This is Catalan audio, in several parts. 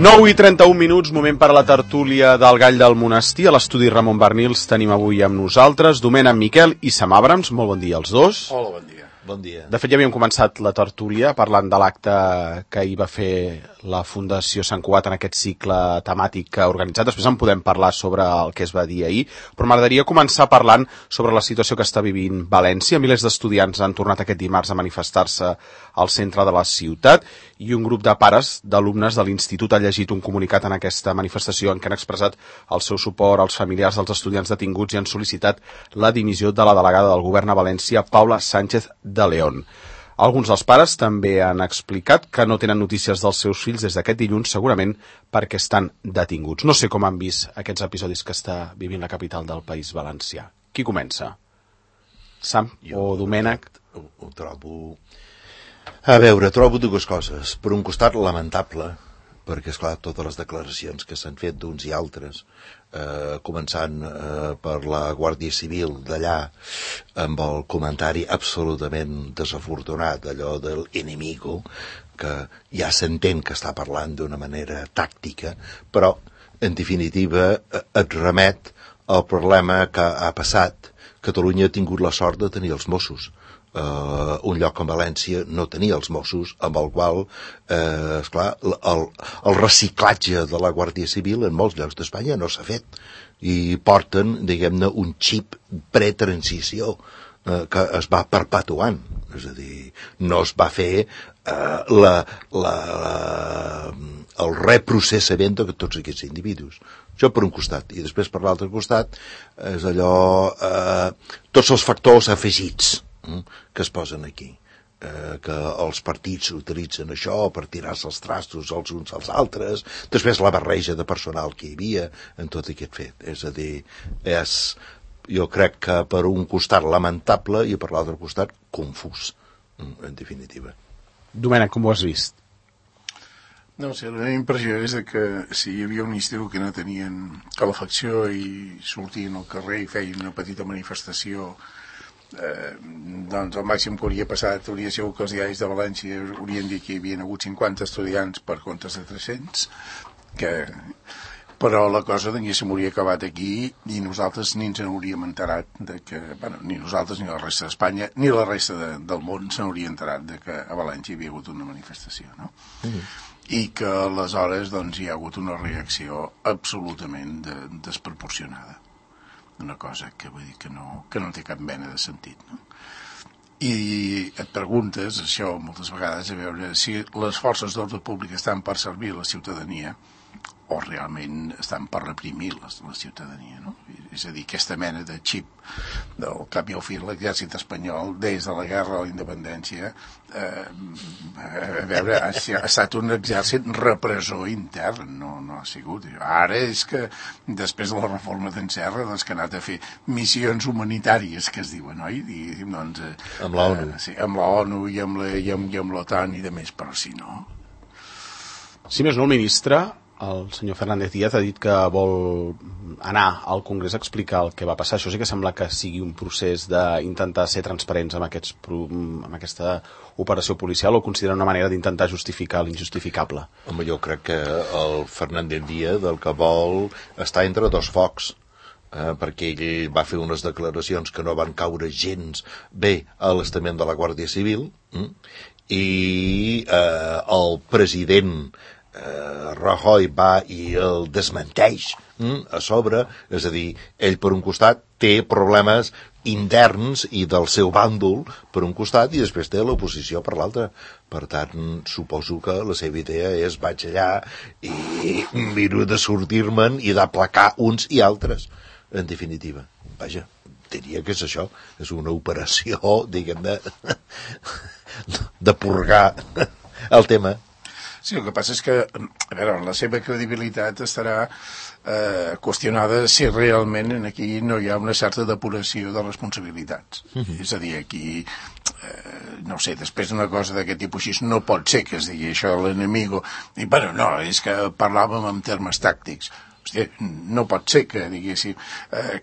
9:31, moment per a la tertúlia del Gall del Monestir. A l'estudi Ramon Barnils tenim avui amb nosaltres Domènec Miquel i Sam Abrams. Molt bon dia als dos. Hola, bon dia. Bon dia. De fet, ja havíem començat la tertúlia parlant de l'acte que hi va fer la Fundació Sant Cugat en aquest cicle temàtic que ha organitzat. Després en podem parlar sobre el que es va dir ahir, però m'agradaria començar parlant sobre la situació que està vivint València. Milers d'estudiants han tornat aquest dimarts a manifestar-se al centre de la ciutat i un grup de pares d'alumnes de l'Institut ha llegit un comunicat en aquesta manifestació en què han expressat el seu suport als familiars dels estudiants detinguts i han sol·licitat la dimissió de la delegada del govern a València, Paula Sánchez de León. Alguns dels pares també han explicat que no tenen notícies dels seus fills des d'aquest dilluns, segurament perquè estan detinguts. No sé com han vist aquests episodis que està vivint la capital del País Valencià. Qui comença? Sam o Domènec? Ho trobo... A veure, trobo dues coses. Per un costat, lamentable, perquè, esclar, totes les declaracions que s'han fet d'uns i altres, començant per la Guàrdia Civil d'allà, amb el comentari absolutament desafortunat, allò del enemigo, que ja s'entén que està parlant d'una manera tàctica, però, en definitiva, et remet al problema que ha passat. Catalunya ha tingut la sort de tenir els Mossos. Un lloc com València no tenia els Mossos, amb el qual, esclar, el reciclatge de la Guàrdia Civil en molts llocs d'Espanya no s'ha fet. I porten, diguem-ne, un xip pretransició que es va perpetuant. És a dir, no es va fer el reprocessament de tots aquests individus. Això per un costat. I després per l'altre costat és allò... tots els factors afegits que es posen aquí, que els partits utilitzen això per tirar-se els trastos els uns als altres, després la barreja de personal que hi havia en tot aquest fet. És a dir, jo crec que per un costat lamentable i per l'altre costat confús, en definitiva. Domènec, com ho has vist? No sé, la meva impressió és que si hi havia un estiu que no tenien calefacció i sortien al carrer i feien una petita manifestació, doncs el màxim que hauria passat hauria sigut que els diaris de València haurien dit que hi havia hagut 50 estudiants per comptes de 300, però la cosa diguéssim hauria acabat aquí i nosaltres ni ens n'hauríem enterat de que, bueno, ni nosaltres ni la resta d'Espanya ni la resta del món s'hauria enterat de que a València hi havia hagut una manifestació, no? I que aleshores doncs hi ha hagut una reacció absolutament desproporcionada, una cosa que vull dir que no té cap mena de sentit, no? I et preguntes això moltes vegades, a veure si les forces d'ordre públic estan per servir la ciutadania o realment estan per reprimir la ciutadania, no? És a dir, aquesta mena de xip del cap i al fi l'exèrcit espanyol des de la guerra a la independència a veure, ha estat un exèrcit repressor intern, no ha sigut. Ara és que després de la reforma d'en Serra doncs que ha anat a fer missions humanitàries que es diuen, oi? Doncs, amb l'ONU. Sí, amb l'ONU i amb l'OTAN i de més, però si no... Si més no, el ministre, el senyor Fernández Díaz, ha dit que vol anar al Congrés a explicar el que va passar. Això sí que sembla que sigui un procés d'intentar ser transparents amb aquesta operació policial, o considera una manera d'intentar justificar l'injustificable? Home, jo crec que el Fernández Díaz el que vol està entre dos focs, perquè ell va fer unes declaracions que no van caure gens bé a l'estament de la Guàrdia Civil, i el president Rajoy va i el desmenteix a sobre. És a dir, ell per un costat té problemes interns i del seu bàndol per un costat i després té l'oposició per l'altre. Per tant, suposo que la seva idea és vaig allà i miro de sortir-me'n i d'aplacar uns i altres, en definitiva. Vaja, diria que és això, és una operació, diguem-ne, de purgar el tema. Sí, el que passa és que, a veure, la seva credibilitat estarà qüestionada si realment aquí no hi ha una certa depuració de responsabilitats. És a dir, aquí, no sé, després d'una cosa d'aquest tipus així, no pot ser que es digui això de l'enemigo. I, bueno, no, és que parlàvem en termes tàctics. Hòstia, no pot ser que, diguéssim,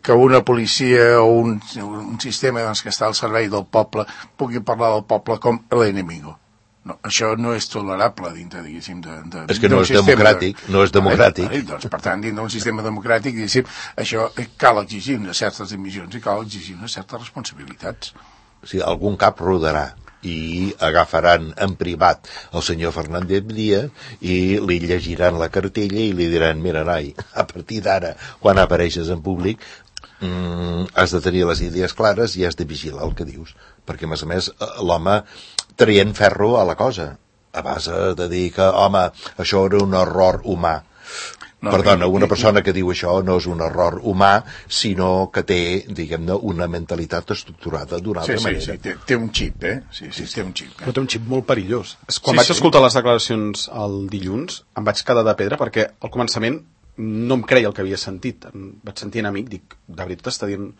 que una policia o un sistema doncs, que està al servei del poble pugui parlar del poble com l'enemigo. No, això no és tolerable dintre, diguéssim, és que no és democràtic, no és democràtic. Doncs, per tant, dintre d'un sistema democràtic, diguéssim, això cal exigir unes certes dimissions i cal exigir unes certes responsabilitats. O sigui, algun cap rodarà i agafaran en privat el senyor Fernández Díaz i li llegiran la cartella i li diran, mira, noi, a partir d'ara, quan apareixes en públic, has de tenir les idees clares i has de vigilar el que dius, perquè a més l'home traient ferro a la cosa a base de dir que, home, això era un error humà. Perdona, una persona que diu això no és un error humà, sinó que té, diguem-ne, una mentalitat estructurada d'una altra manera. Sí, té un xip, Sí, té un xip. Però té un xip molt perillós. Quan vaig escoltar les declaracions el dilluns, em vaig quedar de pedra perquè al començament no em creia el que havia sentit. Em vaig sentir enemic, dic, de veritat està dient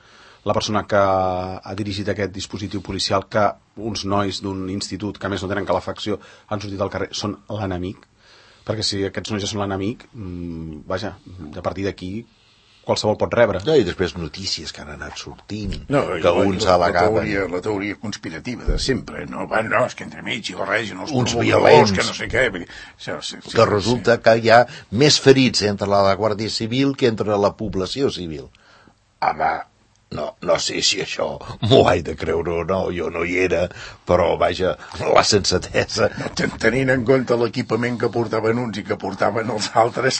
la persona que ha dirigit aquest dispositiu policial que uns nois d'un institut que a més no tenen calefacció han sortit al carrer, són l'enemic? Perquè si aquests nois ja són l'enemic, vaja, a partir d'aquí qualsevol pot rebre. No, i després notícies que han anat sortint, que uns al·legaven... La teoria conspirativa de sempre, no, és que entremig i barregen els uns violents, que no sé què... Que resulta que hi ha més ferits entre la Guàrdia Civil que entre la població civil. Home, no sé si això m'ho haig de creure o no, jo no hi era, però vaja, la sensatesa... Tenint en compte l'equipament que portaven uns i que portaven els altres,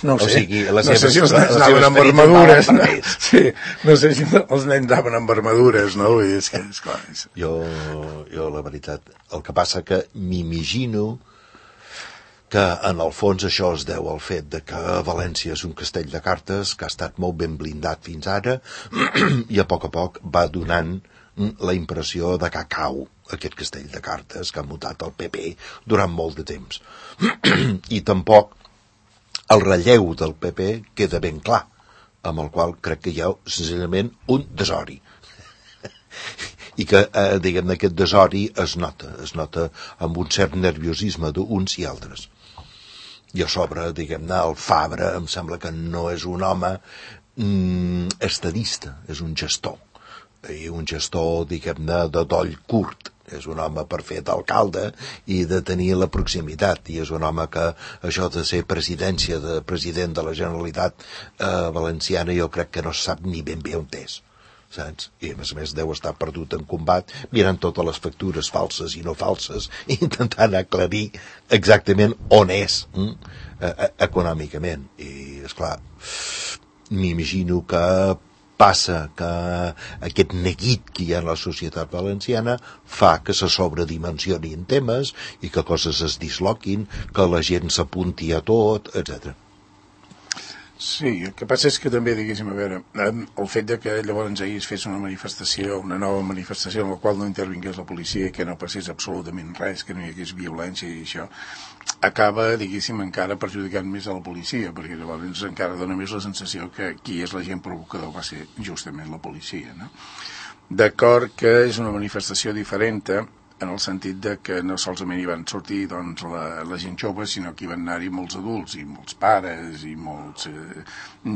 no sé, o sigui, no sé si els nens anaven amb armadures, no? Sí, no sé si els nens anaven amb armadures, no? És que, esclar, jo, la veritat, el que passa que m'imagino que en el fons això es deu al fet de que València és un castell de cartes que ha estat molt ben blindat fins ara i a poc va donant la impressió de que cau aquest castell de cartes que ha mutat el PP durant molt de temps. I tampoc el relleu del PP queda ben clar, amb el qual crec que hi ha senzillament un desori. I que, diguem-ne, aquest desori es nota amb un cert nerviosisme d'uns i altres. I a sobre, diguem-ne, el Fabra em sembla que no és un home estadista, és un gestor. I un gestor, diguem-ne, de doll curt. És un home per fer d'alcalde i de tenir la proximitat. I és un home que això de ser president de la Generalitat valenciana jo crec que no sap ni ben bé on és. Saps? I a més deu estar perdut en combat mirant totes les factures falses i no falses i intentant aclarir exactament on és econòmicament. I esclar, m'imagino que passa que aquest neguit que hi ha en la societat valenciana fa que se sobredimensionin temes i que coses es disloquin, que la gent s'apunti a tot, etc. Sí, el que passa és que també, diguéssim, a veure, el fet de que llavors ahir es fes una manifestació, una nova manifestació en la qual no intervingués la policia i que no passés absolutament res, que no hi hagués violència i això, acaba, diguéssim, encara perjudicant més a la policia, perquè llavors encara dona més la sensació que qui és l'agent provocador va ser justament la policia, no? D'acord que és una manifestació diferent, en el sentit de que no solament hi van sortir doncs, la gent jove, sinó que hi van anar-hi molts adults i molts pares i molts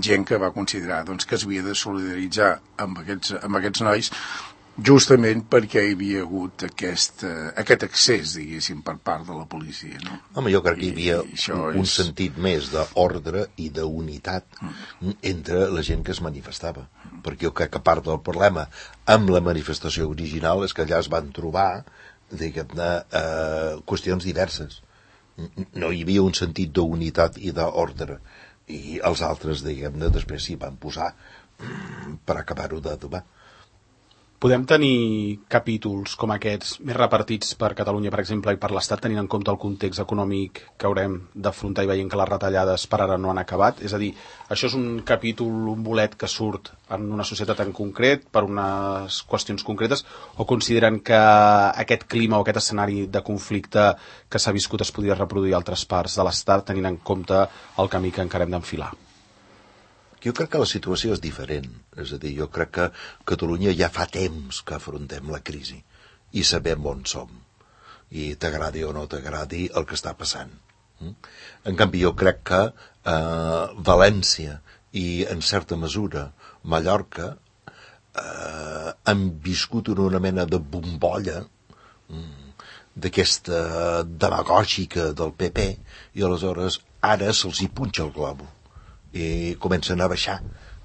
gent que va considerar doncs, que s'havia de solidaritzar amb aquests nois justament perquè hi havia hagut aquest accés, diguéssim, per part de la policia, no? Home, jo crec que hi havia un sentit més d'ordre i d'unitat entre la gent que es manifestava, perquè jo crec que part del problema amb la manifestació original és que allà es van trobar, diguem-ne, qüestions diverses. No hi havia un sentit d'unitat i d'ordre, i els altres, diguem-ne, després s'hi van posar per acabar-ho d'adobar. Podem tenir capítols com aquests més repartits per Catalunya, per exemple, i per l'Estat, tenint en compte el context econòmic que haurem d'afrontar i veient que les retallades per ara no han acabat? És a dir, això és un capítol, un bolet que surt en una societat en concret, per unes qüestions concretes, o consideren que aquest clima o aquest escenari de conflicte que s'ha viscut es podria reproduir a altres parts de l'Estat, tenint en compte el camí que encara hem d'enfilar? Jo crec que la situació és diferent. És a dir, jo crec que Catalunya ja fa temps que afrontem la crisi i sabem on som. I t'agradi o no t'agradi el que està passant. En canvi, jo crec que València i, en certa mesura, Mallorca han viscut en una mena de bombolla d'aquesta demagògica del PP, i aleshores ara se'ls hi punxa el globo i comencen a baixar.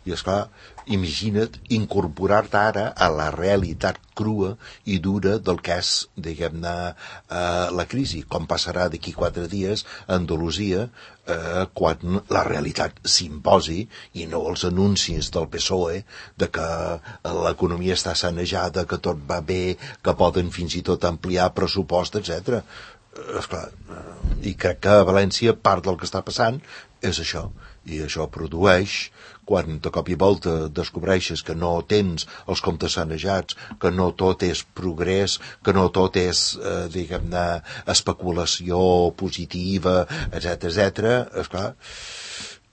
I esclar, imagina't incorporar-te ara a la realitat crua i dura del que és, diguem-ne, la crisi, com passarà d'aquí 4 dies a Andalusia, quan la realitat s'imposi i no els anuncis del PSOE de que l'economia està sanejada, que tot va bé, que poden fins i tot ampliar pressupost, etc. Esclar, i crec que a València part del que està passant és això, i això produeix, quan de cop i volta descobreixes que no tens els comptes sanejats, que no tot és progrés, que no tot és, diguem-ne, especulació positiva, etc., esclar,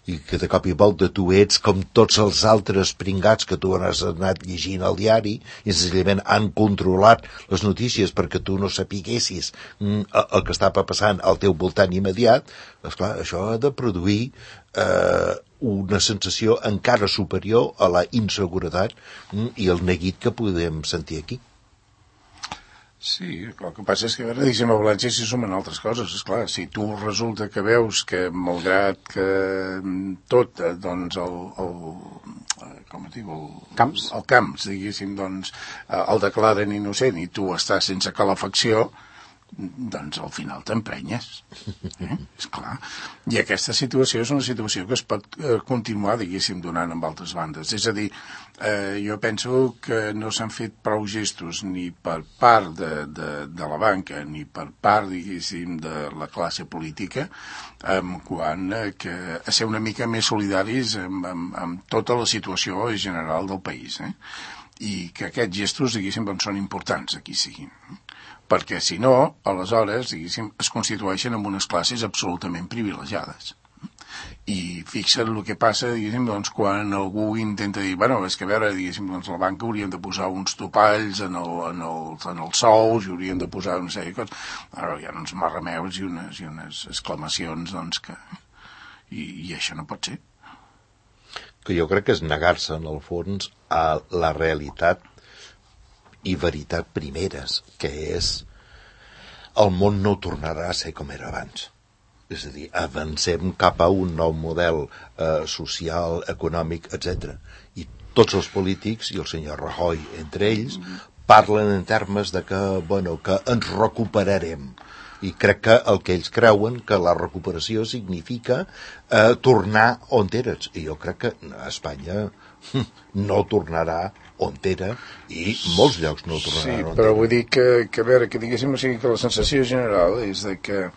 i que de cop i volta tu ets com tots els altres pringats que tu has anat llegint al diari i senzillament han controlat les notícies perquè tu no sapiguessis el que estava passant al teu voltant immediat. Esclar, això ha de produir una sensació encara superior a la inseguretat i el neguit que podem sentir aquí. Sí, el que passa és que, a veure, diguéssim, a València s'hi sumen altres coses. Esclar, si tu resulta que veus que, malgrat que tot, doncs, com es diu? Camps. El Camps, diguéssim, doncs, el declaren innocent i tu estàs sense calefacció, doncs al final t'emprenyes. Esclar. I aquesta situació és una situació que es pot continuar, diguéssim, donant amb altres bandes. És a dir, jo penso que no s'han fet prou gestos ni per part de la banca ni per part, diguéssim, de la classe política quant a ser una mica més solidaris amb tota la situació general del país. I que aquests gestos, diguéssim, són importants, aquí siguin. Perquè, si no, aleshores, diguéssim, es constitueixen en unes classes absolutament privilegiades. I fixa't el que passa, diguéssim, doncs, quan algú intenta dir, bueno, és que a veure, diguéssim, doncs la banca hauríem de posar uns topalls en els sous i hauríem de posar una sèrie de coses. Ara hi ha uns marrameus i unes exclamacions, doncs, que... I això no pot ser. Que jo crec que és negar-se, en el fons, a la realitat i veritat primeres, que és el món no tornarà a ser com era abans. És a dir, avancem cap a un nou model social, econòmic, etc. I tots els polítics, i el senyor Rajoy entre ells, parlen en termes de que, bueno, que ens recuperarem. I crec que el que ells creuen que la recuperació significa tornar on eres. I jo crec que a Espanya no tornarà on era i molts llocs no tornaran on era. Sí, però vull dir que a veure, que diguéssim, o sigui, que la sensació general és de que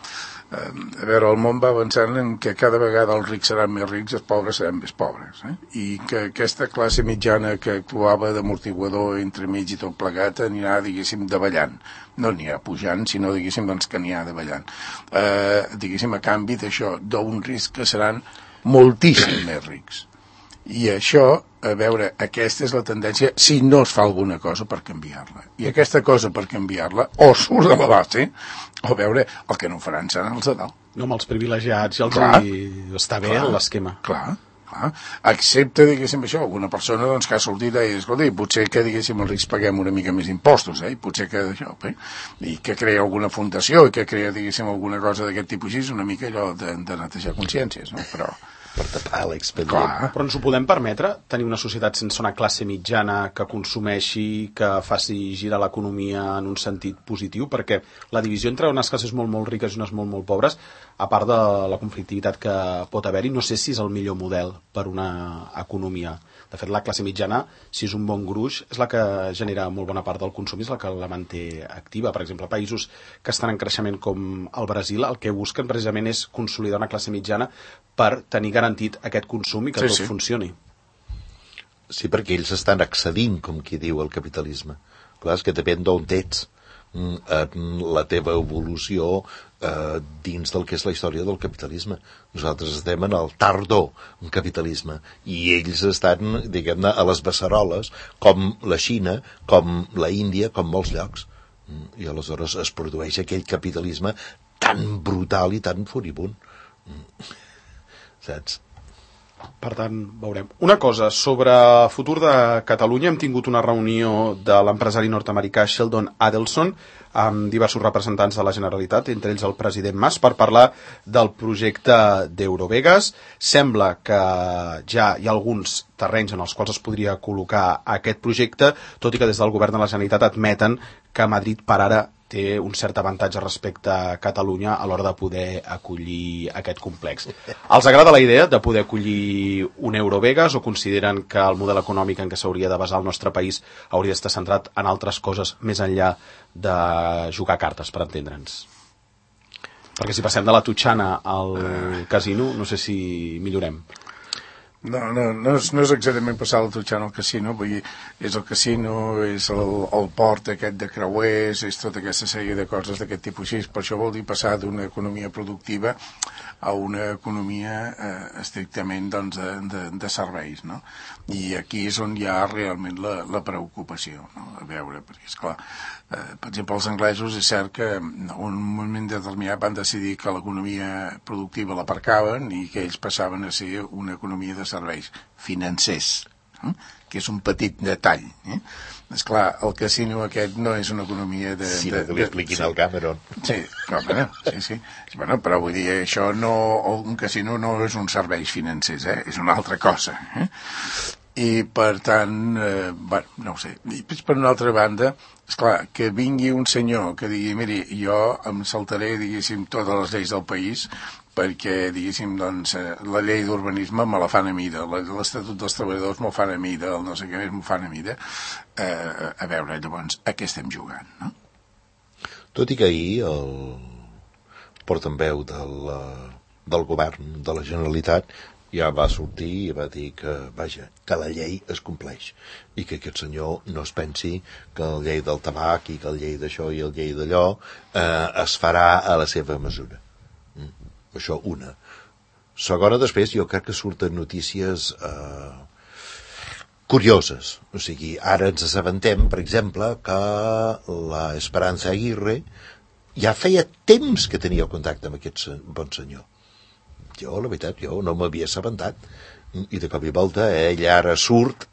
a veure, el món va avançant en que cada vegada els rics seran més rics, els pobres seran més pobres, i que aquesta classe mitjana que actuava d'amortiguador entremig i tot plegat anirà, diguéssim, davallant. No anirà pujant, sinó, diguéssim, doncs que anirà davallant. Diguéssim, a canvi d'això, d'un risc que seran moltíssim més rics. I això, a veure, aquesta és la tendència si no es fa alguna cosa per canviar-la. I aquesta cosa per canviar-la o surt de la base, o a veure, el que no faran seran els de dalt. No, amb els privilegiats i els està bé l'esquema. Clar. Excepte, diguéssim, això, alguna persona doncs, que ha sortit i escolta, potser que, diguéssim, els rics paguem una mica més impostos, i potser que això, i que crea alguna fundació i que crea, diguéssim, alguna cosa d'aquest tipus així, una mica allò de netejar consciències, no? Però per tapar l'expedient. Però ens ho podem permetre, tenir una societat sense una classe mitjana que consumeixi, que faci girar l'economia en un sentit positiu, perquè la divisió entre unes classes molt, molt riques i unes molt, molt pobres, a part de la conflictivitat que pot haver-hi, no sé si és el millor model per una economia. De fet, la classe mitjana, si és un bon gruix, és la que genera molt bona part del consum, és la que la manté activa. Per exemple, països que estan en creixement com el Brasil, el que busquen precisament és consolidar una classe mitjana per tenir garantit aquest consum i que tot funcioni. Sí, perquè ells estan accedint, com qui diu, al capitalisme. Clar, és que depèn d'on ets la teva evolució dins del que és la història del capitalisme. Nosaltres estem en el tardor capitalisme i ells estan, diguem-ne, a les beceroles, com la Xina, com la Índia, com molts llocs. I aleshores es produeix aquell capitalisme tan brutal i tan furibund. Saps? Per tant, veurem. Una cosa, sobre el futur de Catalunya, hem tingut una reunió de l'empresari nord-americà Sheldon Adelson amb diversos representants de la Generalitat, entre ells el president Mas, per parlar del projecte d'Eurovegas. Sembla que ja hi ha alguns terrenys en els quals es podria col·locar aquest projecte, tot i que des del govern de la Generalitat admeten que Madrid per ara té un cert avantatge respecte a Catalunya a l'hora de poder acollir aquest complex. Els agrada la idea de poder acollir un Eurovegas o consideren que el model econòmic en què s'hauria de basar el nostre país hauria d'estar centrat en altres coses més enllà de jugar cartes, per entendre'ns? Perquè si passem de la Tutxana al casino, no sé si millorem. No és exactament passar la Tutxana al casino, vull dir, és el casino, és el port aquest de creuers, és tota aquesta sèrie de coses d'aquest tipus així. Per això vol dir passar d'una economia productiva a una economia estrictament doncs, de serveis, no? I aquí és on hi ha realment la preocupació, no? A veure, perquè esclar, per exemple, els anglesos és cert que en un moment determinat van decidir que l'economia productiva l'aparcaven i que ells passaven a ser una economia de serveis financers, que és un petit detall. Esclar, el casino aquest no és una economia de... Sí, que li expliquin al Cameron. Sí, sí. Bueno, però vull dir, això no... Un casino no és un serveis financers, és una altra cosa. I, per tant, no ho sé. I per una altra banda, esclar, que vingui un senyor que digui, miri, jo em saltaré, diguéssim, totes les lleis del país perquè, diguéssim, doncs, la llei d'urbanisme me la fan a mida, l'Estatut dels Treballadors me'l fan a mida, el no sé què més m'ho fan a mida. A veure, llavors, a què estem jugant, no? Tot i que ahir el portaveu del govern de la Generalitat ja va sortir i va dir que, vaja, que la llei es compleix i que aquest senyor no es pensi que la llei del tabac i que la llei d'això i la llei d'allò es farà a la seva mesura. Això una. Segona, després, jo crec que surten notícies curioses. O sigui, ara ens assabentem, per exemple, que la Esperanza Aguirre ja feia temps que tenia contacte amb aquest bon senyor. Jo, la veritat, no m'havia assabentat. I de cop i volta ell ara surt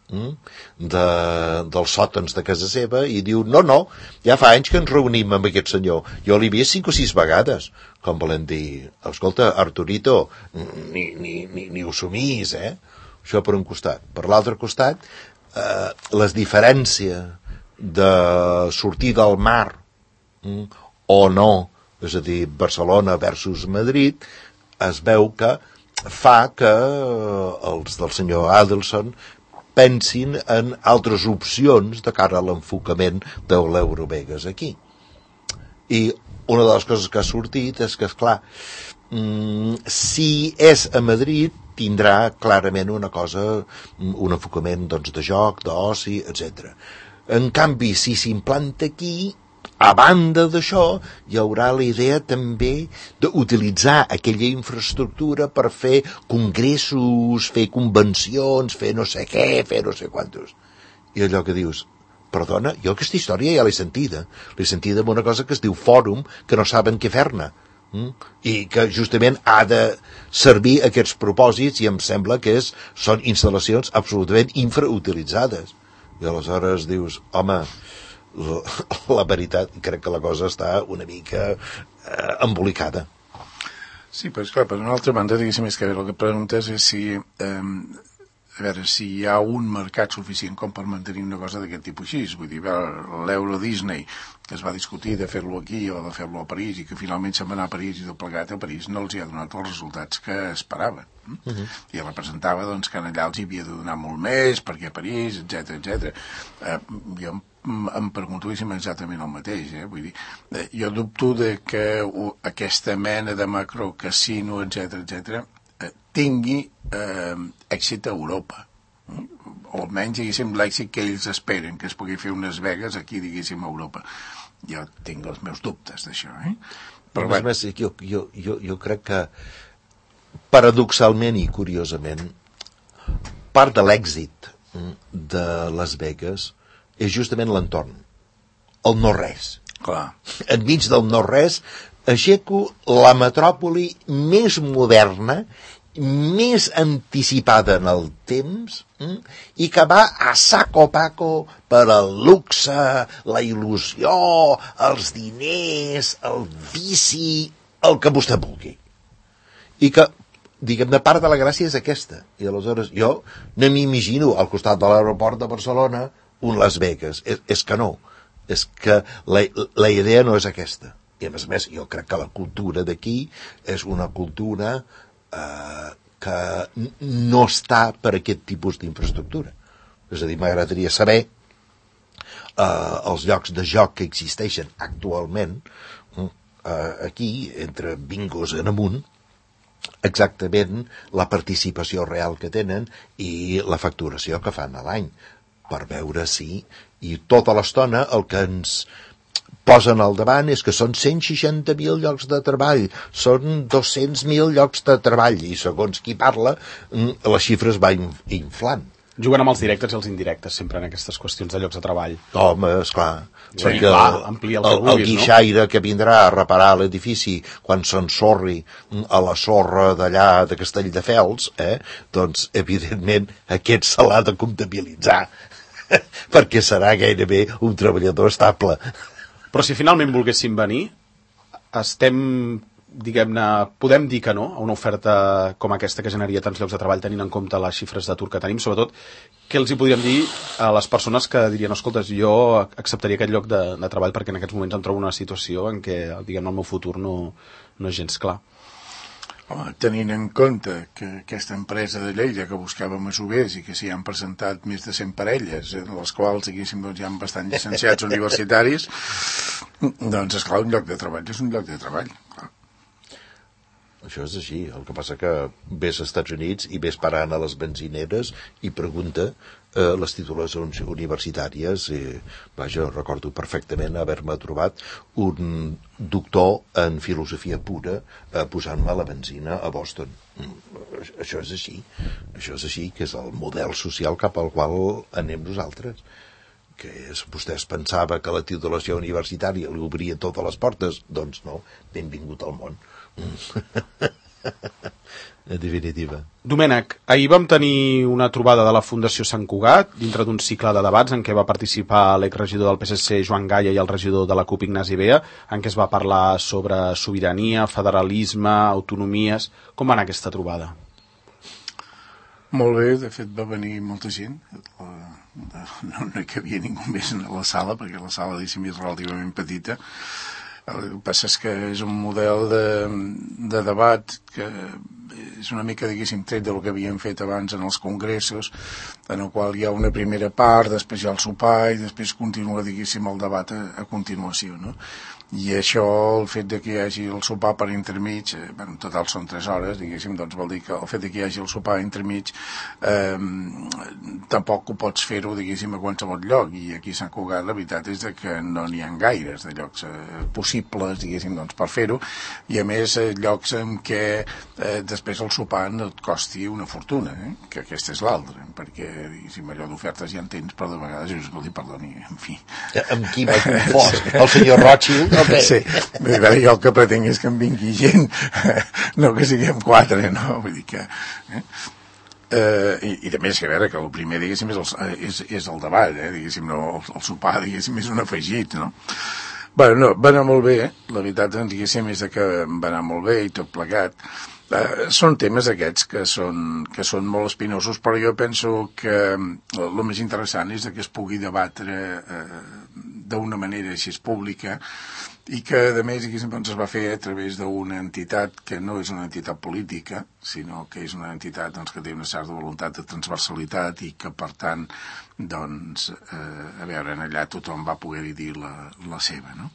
dels sòtons de casa seva i diu, no, ja fa anys que ens reunim amb aquest senyor. Jo l'he vist 5 o 6 vegades, com volen dir, escolta, Arturito, ni ho somís, Això per un costat. Per l'altre costat, les diferències de sortir del mar o no, és a dir, Barcelona versus Madrid, es veu que fa que els del senyor Adelson pensin en altres opcions de cara a l'enfocament de l'Eurovegas aquí. I una de les coses que ha sortit és que, esclar, si és a Madrid tindrà clarament una cosa, un enfocament doncs, de joc, d'oci, etc. En canvi, si s'implanta aquí, a banda d'això, hi haurà la idea també d'utilitzar aquella infraestructura per fer congressos, fer convencions, fer no sé què, fer no sé quantos. I allò que dius, perdona, jo aquesta història ja l'he sentida. L'he sentida amb una cosa que es diu fòrum, que no saben què fer-ne. I que justament ha de servir aquests propòsits i em sembla que són instal·lacions absolutament infrautilitzades. I aleshores dius, home, la veritat, crec que la cosa està una mica embolicada. Sí, però esclar, per una altra banda, diguéssim, és que el que preguntes és si a veure, si hi ha un mercat suficient com per mantenir una cosa d'aquest tipus així. Vull dir, l'Euro Disney, que es va discutir de fer-lo aquí o de fer-lo a París i que finalment se'n va anar a París i tot plegat a París no els hi ha donat els resultats que esperaven. I representava doncs, que allà els hi havia de donar molt més perquè a París, etc. Jo em pregunto exactament el mateix. Vull dir, jo dubto de que aquesta mena de macrocasino, etc., tingui èxit a Europa. O almenys, diguéssim, l'èxit que ells esperen, que es pugui fer unes Vegas aquí, diguéssim, a Europa. Jo tinc els meus dubtes d'això, Però a més, jo crec que paradoxalment i curiosament part de l'èxit de Las Vegas és justament l'entorn, el no-res. Clar. Enmig del no-res aixeco la metròpoli més moderna més anticipada en el temps i que va a saco paco per al luxe, la il·lusió, els diners, el vici, el que vostè vulgui. I que, diguem-ne, part de la gràcia és aquesta. I aleshores jo no m'imagino al costat de l'aeroport de Barcelona un Las Vegas. És que no. És que la idea no és aquesta. I a més, jo crec que la cultura d'aquí és una cultura que no està per aquest tipus d'infraestructura. És a dir, m'agradaria saber els llocs de joc que existeixen actualment aquí, entre bingos en amunt, exactament la participació real que tenen i la facturació que fan a l'any, per veure si... I tota l'estona el que ens posen al davant és que són 160.000 llocs de treball, són 200.000 llocs de treball, i segons qui parla, les xifres va inflant. Juguen amb els directes i els indirectes, sempre en aquestes qüestions de llocs de treball. Home, esclar, sí, perquè amplia el que vulguis, el guixaire que vindrà a reparar l'edifici quan s'ensorri a la sorra d'allà de Castelldefels, doncs, evidentment, aquest se l'ha de comptabilitzar, perquè serà gairebé un treballador estable. Però si finalment volguéssim venir, podem dir que no a una oferta com aquesta que generaria tants llocs de treball tenint en compte les xifres d'atur que tenim, sobretot què els hi podríem dir a les persones que dirien, escolta, jo acceptaria aquest lloc de treball perquè en aquests moments em trobo en una situació en què, diguem, el meu futur no és gens clar. Home, tenint en compte que aquesta empresa de Lleida que buscava masovers i que s'hi han presentat més de 100 parelles, en les quals diguéssim, doncs, hi ha bastant llicenciats universitaris, doncs esclar, un lloc de treball és un lloc de treball, clar. Això és així. El que passa que ves als Estats Units i ves parant a les benzineres i pregunta les titulacions universitàries. Vaja, recordo perfectament haver-me trobat un doctor en filosofia pura posant-me la benzina a Boston. Això és així. Això és així, que és el model social cap al qual anem nosaltres. Que és, vostè es pensava que la titulació universitària li obria totes les portes? Doncs no, benvingut al món. En definitiva. Domènec, ahir vam tenir una trobada de la Fundació Sant Cugat dintre d'un cicle de debats en què va participar l'exregidor del PSC Joan Gaya i el regidor de la CUP Ignasi Bea, en què es va parlar sobre sobirania, federalisme, autonomies. Com va anar aquesta trobada? Molt bé, de fet va venir molta gent, no hi havia ningú més a la sala perquè la sala diguéssim és relativament petita. El que passa és que és un model de debat que és una mica, diguéssim, tret del que havíem fet abans en els congressos, en el qual hi ha una primera part, després hi ha el sopar i després continua, diguéssim, el debat a continuació, no? I això, el fet de que hi hagi el sopar per intermig, en total són 3 hores, diguéssim, doncs vol dir que el fet de que hi hagi el sopar intermig tampoc ho pots fer-ho, diguéssim, a qualsevol lloc, i aquí a Sant Cugat la veritat és que no n'hi ha gaires de llocs possibles, diguéssim, doncs per fer-ho, i a més llocs en què després el sopar no et costi una fortuna, que aquesta és l'altra, perquè, diguéssim, allò d'ofertes ja en tens, però de vegades, escolti, perdoni, en fi. Amb qui m'ha confós? El senyor Rothschild? Okay. Sí, jo el que pretenc és que em vingui gent, no que siguem 4, no? Vull dir que... I de més, que a veure, que el primer, diguéssim, és el debat, diguéssim, no, el sopar, diguéssim, és un afegit, no? Bueno, no, va anar molt bé, la veritat, diguéssim, és que va anar molt bé i tot plegat. Són temes aquests que són molt espinosos, però jo penso que el més interessant és que es pugui debatre d'una manera així pública i que, a més, doncs, es va fer a través d'una entitat que no és una entitat política, sinó que és una entitat doncs, que té una certa voluntat de transversalitat i que, per tant, doncs, a veure, allà tothom va poder dir la seva, no?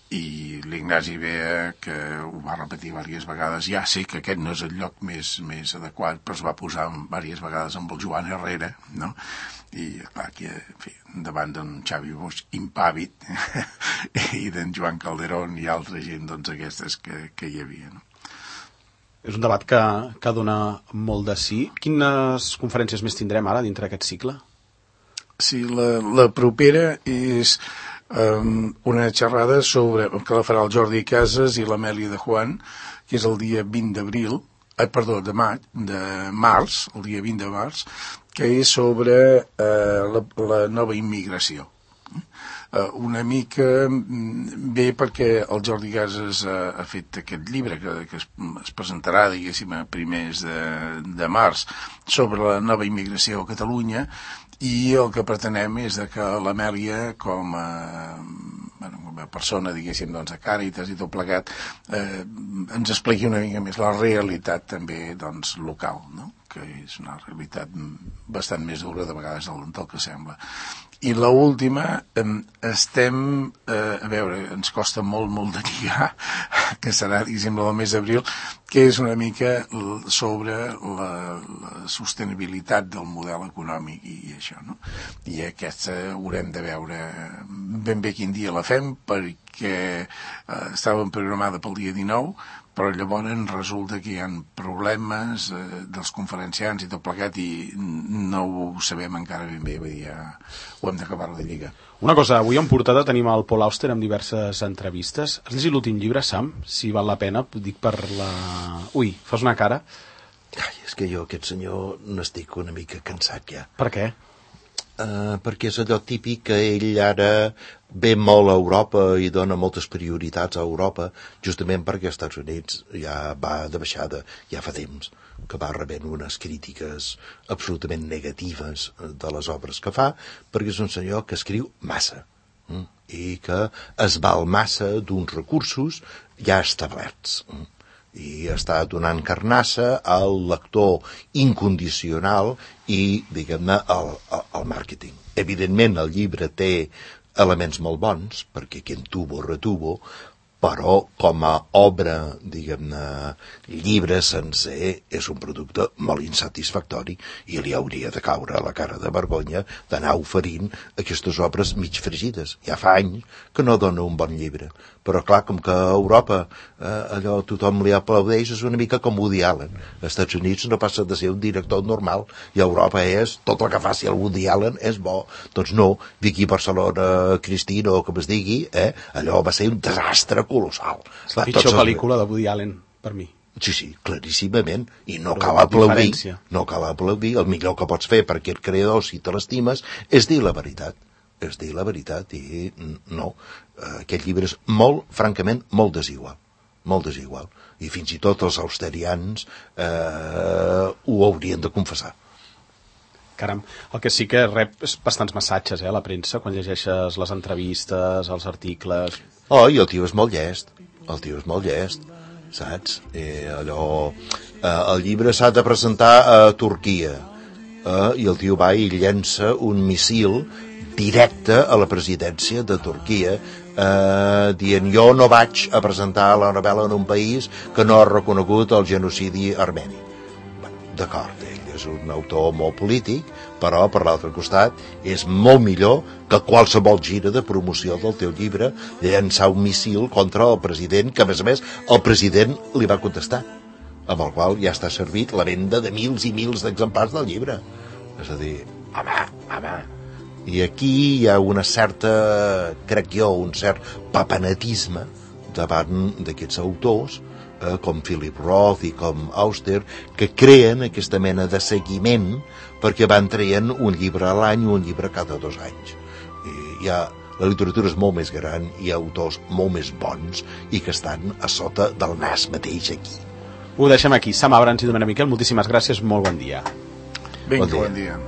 I l'Ignasi Bea, que ho va repetir diverses vegades, ja sé que aquest no és el lloc més adequat, però es va posar diverses vegades amb el Joan Herrera, no? I clar, aquí, en fi, davant d'en Xavi Bosch impàvid i d'en Joan Calderón i altra gent, doncs, aquestes que hi havia, no? És un debat que dona molt de sí. Quines conferències més tindrem ara dintre d'aquest cicle? Sí, la propera és una xerrada que la farà el Jordi Casas i l'Amèlia de Juan, que és el dia 20 d'abril de març, el dia 20 de març, que és sobre la nova immigració. Una mica bé perquè el Jordi Casas ha fet aquest llibre que es presentarà, diguéssim, a primers de març, sobre la nova immigració a Catalunya, i el que pretenem és que l'Amèlia, com a persona, diguéssim, doncs, de Càritas i tot plegat, ens expliqui una mica més la realitat també, doncs, local, no? Que és una realitat bastant més dura de vegades del que sembla. I l'última, estem, a veure, ens costa molt de lligar, que serà, diguéssim, el mes d'abril, que és una mica sobre la sostenibilitat del model econòmic i això, no? I aquesta haurem de veure ben bé quin dia la fem, perquè estava programada pel dia 19, però llavors resulta que hi ha problemes dels conferenciants i tot plegat i no ho sabem encara ben bé, ja ho hem d'acabar de lligar. Una cosa, avui en portada tenim el Paul Auster amb diverses entrevistes. Has llegit l'últim llibre, Sam? Si val la pena, dic per la... Ui, fas una cara. Ai, és que jo aquest senyor n'estic una mica cansat ja. Per què? Perquè és allò típic que ell ara ve molt a Europa i dona moltes prioritats a Europa, justament perquè als Estats Units ja va de baixada, ja fa temps que va rebent unes crítiques absolutament negatives de les obres que fa, perquè és un senyor que escriu massa i que es val massa d'uns recursos ja establerts i està donant carnassa al lector incondicional i, diguem-ne, al màrqueting. Evidentment, el llibre té elements molt bons, perquè quien tuvo, retuvo, però com a obra, diguem-ne, llibre sencer, és un producte molt insatisfactori i li hauria de caure a la cara de vergonya d'anar oferint aquestes obres mig fregides. Ja fa anys que no dona un bon llibre. Però, clar, com que a Europa allò tothom li aplaudeix, és una mica com Woody Allen. Als Estats Units no passa de ser un director normal i a Europa és tot el que faci el Woody Allen és bo. Doncs no, Vicky Barcelona, Cristina o com es digui, allò va ser un desastre colossal. És la pitjor pel·lícula de Woody Allen, per mi. Sí, claríssimament. I no cal aplaudir. No cal aplaudir. El millor que pots fer perquè el creador, si te l'estimes, és dir la veritat. És dir la veritat i no. Aquest llibre és molt, francament, molt desigual. Molt desigual. I fins i tot els austerians ho haurien de confessar. Caram, el que sí que rep és bastants massatges, a la premsa, quan llegeixes les entrevistes, els articles... Oh, i el tio és molt llest. El tio és molt llest, saps? El llibre s'ha de presentar a Turquia i el tio va i llença un missil directe a la presidència de Turquia dient jo no vaig a presentar la novel·la en un país que no ha reconegut el genocidi armeni. D'acord, ell és un autor molt polític, però per l'altre costat és molt millor que qualsevol gira de promoció del teu llibre llançar un missil contra el president, que a més el president li va contestar, amb el qual ja està servit la venda de mils i mils d'exemplars del llibre. És a dir, home. I aquí hi ha una certa, crec jo, un cert papanetisme davant d'aquests autors, com Philip Roth i com Auster, que creen aquesta mena de seguiment perquè van traient un llibre a l'any o un llibre cada 2 anys. I la literatura és molt més gran, hi ha autors molt més bons i que estan a sota del nas mateix aquí. Ho deixem aquí. Sam Abrams i Domènec Miquel, moltíssimes gràcies, molt bon dia. Vinga, bon dia.